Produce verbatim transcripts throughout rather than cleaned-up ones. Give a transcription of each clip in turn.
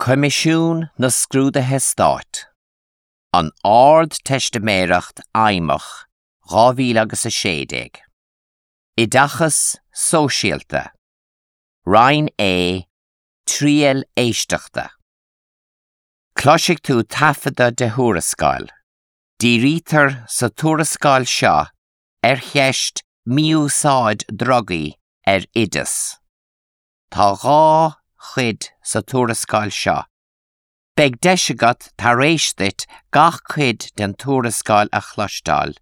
Coimisiún na Scrúduithe Stáit. An Ardteistiméireacht Fheidhmeach dhá mhíle agus a sé déag. Oideachas Sóisialta. Roinn A, Triail Éisteachta. Cloisfidh tú taifeadadh de thuarascáil. Dírítear sa tuarascáil seo ar cheist mí-úsáid drugaí ar oideas. Tá dhá chuid sa tuarascáil seo. Beidh deis agat tar éis duit gach cuid den tuarascáil a chloisteáil,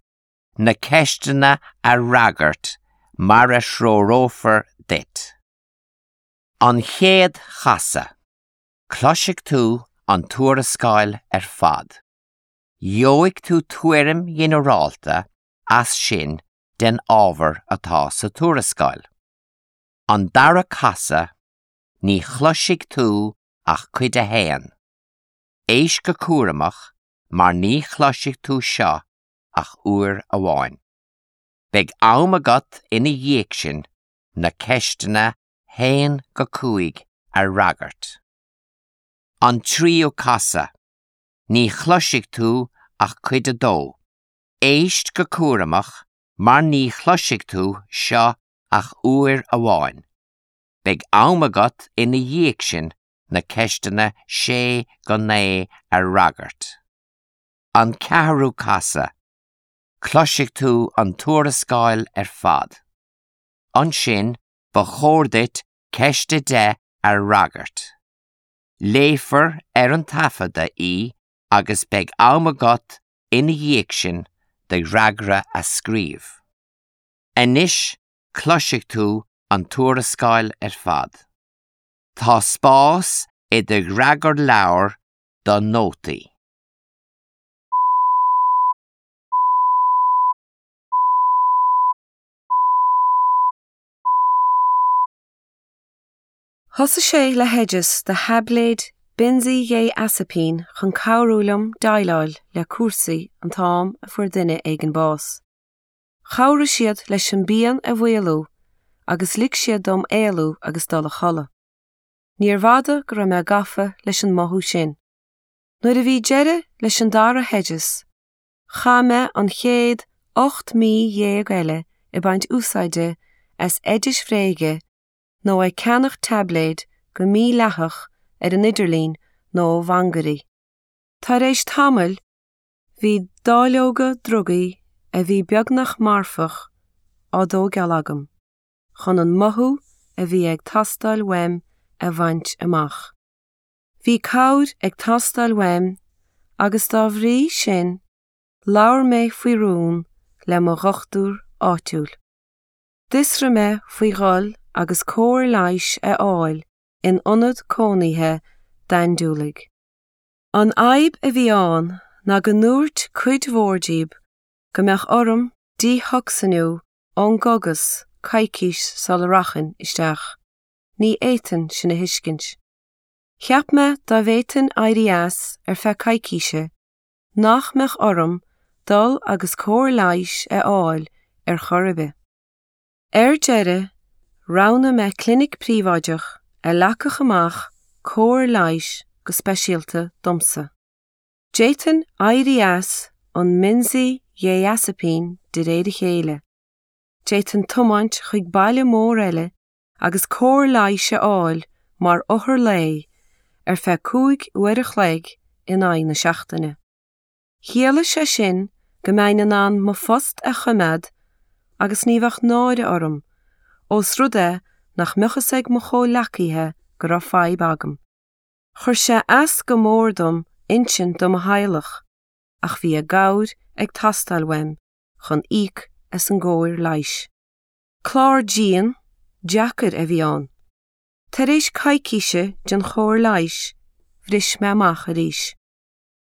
na ceisteanna a fhreagairt mar a threorófar duit. An chéad chasadh. Cloisfidh tú an tuarascáil ar fad. Gheobhaidh tú tuairim ghinearálta as sin den ábhar atá sa tuarascáil. An dara casadh, ní chloisfidh tú ach cuid a haon. Éist go cúramach mar ní chloisfidh tú seo ach uair amháin. Beidh am agat ina dhiaidh sin na ceisteanna haon go cúig a fhreagairt. An tríú casadh, ní chloisfidh tú ach cuid a dó. Éist go cúramach mar ní chloisfidh tú seo ach uair amháin. Beidh am agat ina dhiaidh sin na ceisteanna sé go naoi a fhreagairt. An ceathrú casadh, cloisfidh tú an tuarascáil ar fad. Ansin ba chóir duit ceist a deich a fhreagairt. Léifear ar an taifeadadh í agus beidh am agat ina dhiaidh sin do fhreagra a scríobh. Anois cloisfidh tú an tuarascáil ar fad. Tá spás i do fhreagarleabhar do nótaí. Thosaigh sé le hoideas do thaibléid beinsidhé-asaipín chun cabhrú liom déileáil le cúrsaí an t-am a fuair duine éigin bás. Chabhraigh siad leis an bpian a mhaolú agus lig siad dom éalú agus dul a chodladh. Níorbh fhada go raibh mé gafa leis an mothú sin. Nuair a bhí deireadh leis an dara hoideas, chaith mé an chéad ocht mí dhéag eile ag baint úsáide as oidis bhréige nó ag ceannach taibléid go mídhleathach ar an idirlíon nó ó mhangairí. Tar éis tamaill, bhí dáileoga drugaí a bhí beagnach marfach á dtógáil agam, chun an mothú a bhí ag teastáil uaim a bhaint amach. Bhí cabhair ag teastáil uaim agus dá bhrí sin labhair mé faoi rún le mo dhochtúir áitiúil. D'fhiosraigh mé faoi dhul agus cóir leighis a fháil in ionad cónaithe d'andúiligh. An fhadhb a bhí ann ná go ndúirt cuid mhór díobh go mbeadh orm dítocsainiú ón gcógas coicís sula rachainn isteach. Ní fhéadfainn sin a thuiscint. Cheap mé dá bhféadfainn éirí as ar feadh coicíse, nach mbeadh orm dul agus cóir leighis a fháil ar chor ar bith. Ar deireadh, roghnaigh mé clinic príobháideach a leagfadh amach cóir leighis go speisialta domsa. D'fhéadfainn éirí as an mbeinsidhé-asaipín de réir a chéile. D'fhéadfainn tiomáint chuig baile mór eile agus cóir leighis a fháil mar othar lae ar feadh cúig uair a chloig in aghaidh na seachtaine. Chiallaigh sé sin go mbeinn in ann mo phost a choimeád agus ní bheadh náire orm, ós rud é nach mbeadh fhios ag mo chomhghleacaithe go raibh fadhb agam. Chuir sé as go mór dom insint do mo theaghlach, ach bhí a gcabhair ag teastáil uaim chun íoc as an gcóir leighis. Clár dian, deacair a bhí ann. Tar éis coicíse den chóir leighis, bhris mé amach arís.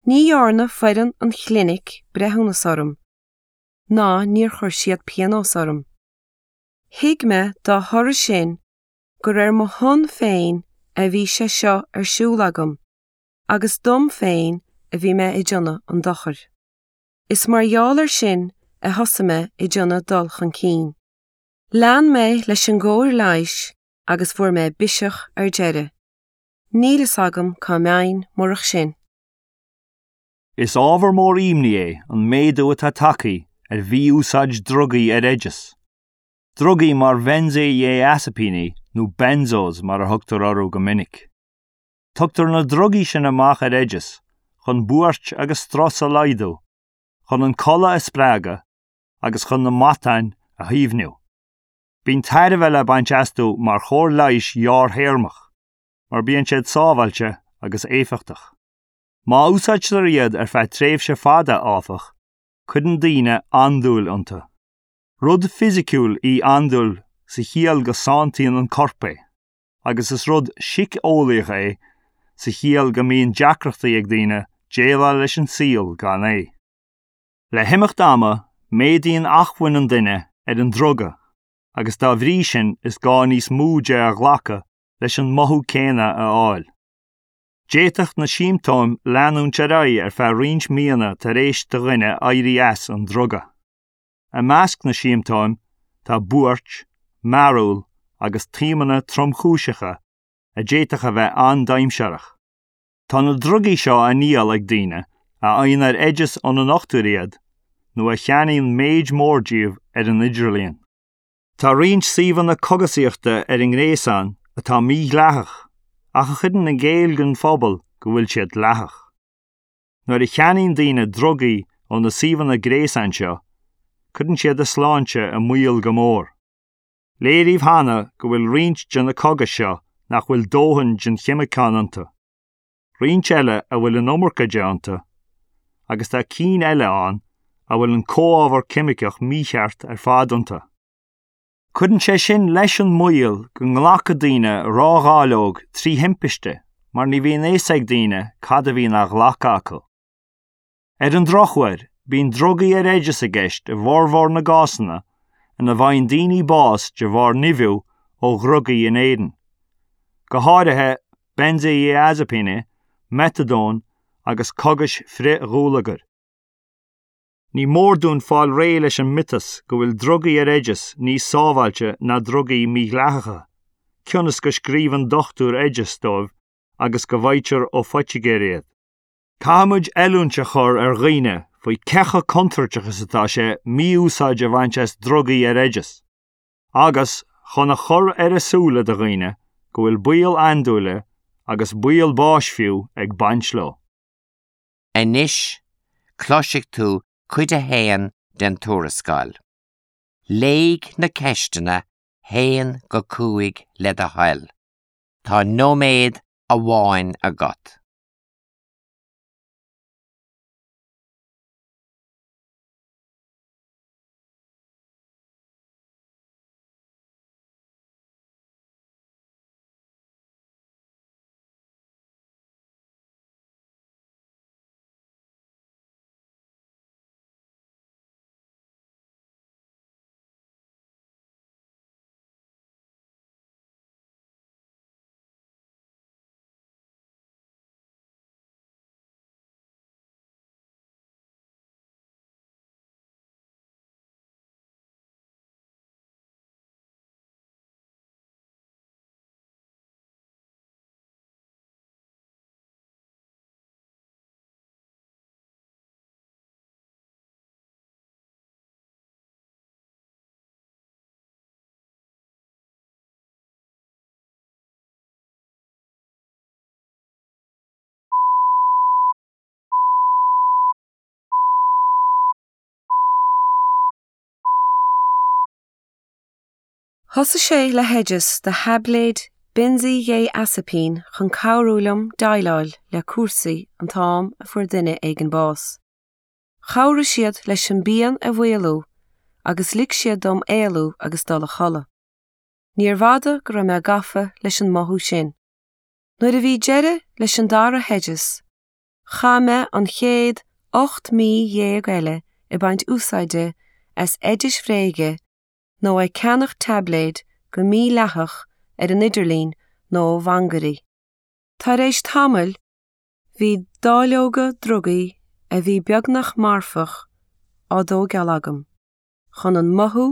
Ní dhearna foireann an chlinic breithiúnas orm, ná níor chuir siad pionós orm. Thuig mé dá thoradh sin gur ar mo shon féin a bhí sé seo ar siúl agam, agus dom féin a bhí mé ag déanamh an dochair. Is mar gheall air sin a thosaigh mé ag déanamh dul chun cinn. Lean mé leis an gcóir leighis agus fuair mé biseach ar deireadh. Níl fhios agam cá mbeinn murach sin. Is ábhar mór imní é an méadú atá tagtha ar mhí-úsáid drugaí ar oideas. Drugaí mar bheinsidhé-asaipíní nó benzos mar a thugtar orthu go minic. Tugtar na drugaí sin amach ar oideas chun buairt agus strus a laghdú, chun an codladh a spreagadh agus chun na matáin a shuaimhniú. Bíonn tairbhe le baint astu mar chóir leighis ghearrthéarmach, mar bíonn siad sábháilte agus éifeachtach. Má úsáidtear iad ar feadh tréimhse fada áfach, cuireann daoine andúil iontu. Rud fisiciúil í andúil sa chiall go santaíonn an corp é, agus is rud síceolaíoch é sa chiall go mbíonn deacrachtaí ag daoine déileáil leis an saol gan é. Le himeacht ama, méadaíonn acmhainn an duine ar an druga, agus dá bhrí sin is gá níos mó de a ghlacadh leis an mothú céanna a fháil. D'fhéadfadh na siomptóim leanúint ar aghaidh ar feadh roinnt míonna tar éis do dhuine éirí as an druga. I measc na siomptóim tá buairt, mearúil agus taomanna tromchúiseacha a d'fhéadfadh a bheith an-dainséarach. Tá na drugaí seo á ndíol ag daoine a fhaigheann ar oideas óna ndochtúir iad nó a cheannaíonn méid mór díobh ar an idirlíon. Tá roinnt suíomhanna cogasaíochta ar an ngréasán atá mídhleathach ach a chuireann i gcéill don phobal go bhfuil siad dleathach. Nuair a cheannaíonn daoine drugaí ó na suíomhanna gréasáin seo, cuireann siad a sláinte i mbaol go mór. Léiríodh cheana go bhfuil roinnt de na cogais seo nach bhfuil dóthain den cheimiceán iontu. Roinnt eile a bhfuil an iomarca de iontu, agus tá cinn eile ann a bhfuil an comhábhar ceimiceach mícheart ar fad iontu. Cuireann sé sin leis an mbaol go nglacfaidh daoine ródháileog trí thimpiste mar ní bhíonn fhios ag daoine cad a bhíonn á ghlacadh acu. Ar an drochuair, bíonn drugaí ar oideas i gceist i bhformhór na gcásanna ina bhfaigheann daoine bás de bharr nimhiú ó dhrugaí in Éirinn. Go háirithe benzodiazepine, meatadón agus cogais frithdhúlagair. Ní mór dúinn fáil réidh leis an miotas go bhfuil drugaí ar oideas níos sábháilte ná drugaí mídhleathacha, cionn is go scríobhann dochtúir oideas dóibh agus go bhfaightear ó phoitigéir iad. Caithfimid oiliúint a chur ar dhaoine faoi cé chomh contúirteach is atá sé mí-úsáid a bhaint as drugaí ar oideas, agus chun a chur ar a súile do dhaoine go bhfuil baol andúile agus baol báis fiú ag baint leo. Anois, cloisfidh tú cuid a haon den tuarascáil. Léigh na ceisteanna haon go cúig le do thoil. Tá nóiméad amháin agat. Thosaigh sé le hoideas do thaibléid beinsidhé-asaipín chun cabhrú liom déileáil le cúrsaí an t-am a fuair duine éigin bás. Chabhraigh siad leis an bpian a mhaolú agus lig siad dom éalú agus dul a chodladh. Níorbh fhada go raibh mé gafa leis an mothú sin. Nuair a bhí deireadh leis an dara hoideas, chaith mé an chéad ocht mí dhéag eile ag baint úsáide as oidis bhréige nó ag ceannach taibléad go mídhleathach ar an idirlíon nó ó mhangairí. Tar éis tamaill, bhí dáileoga drugaí a bhí beagnach marfach á dtógáil agam, chun an mothú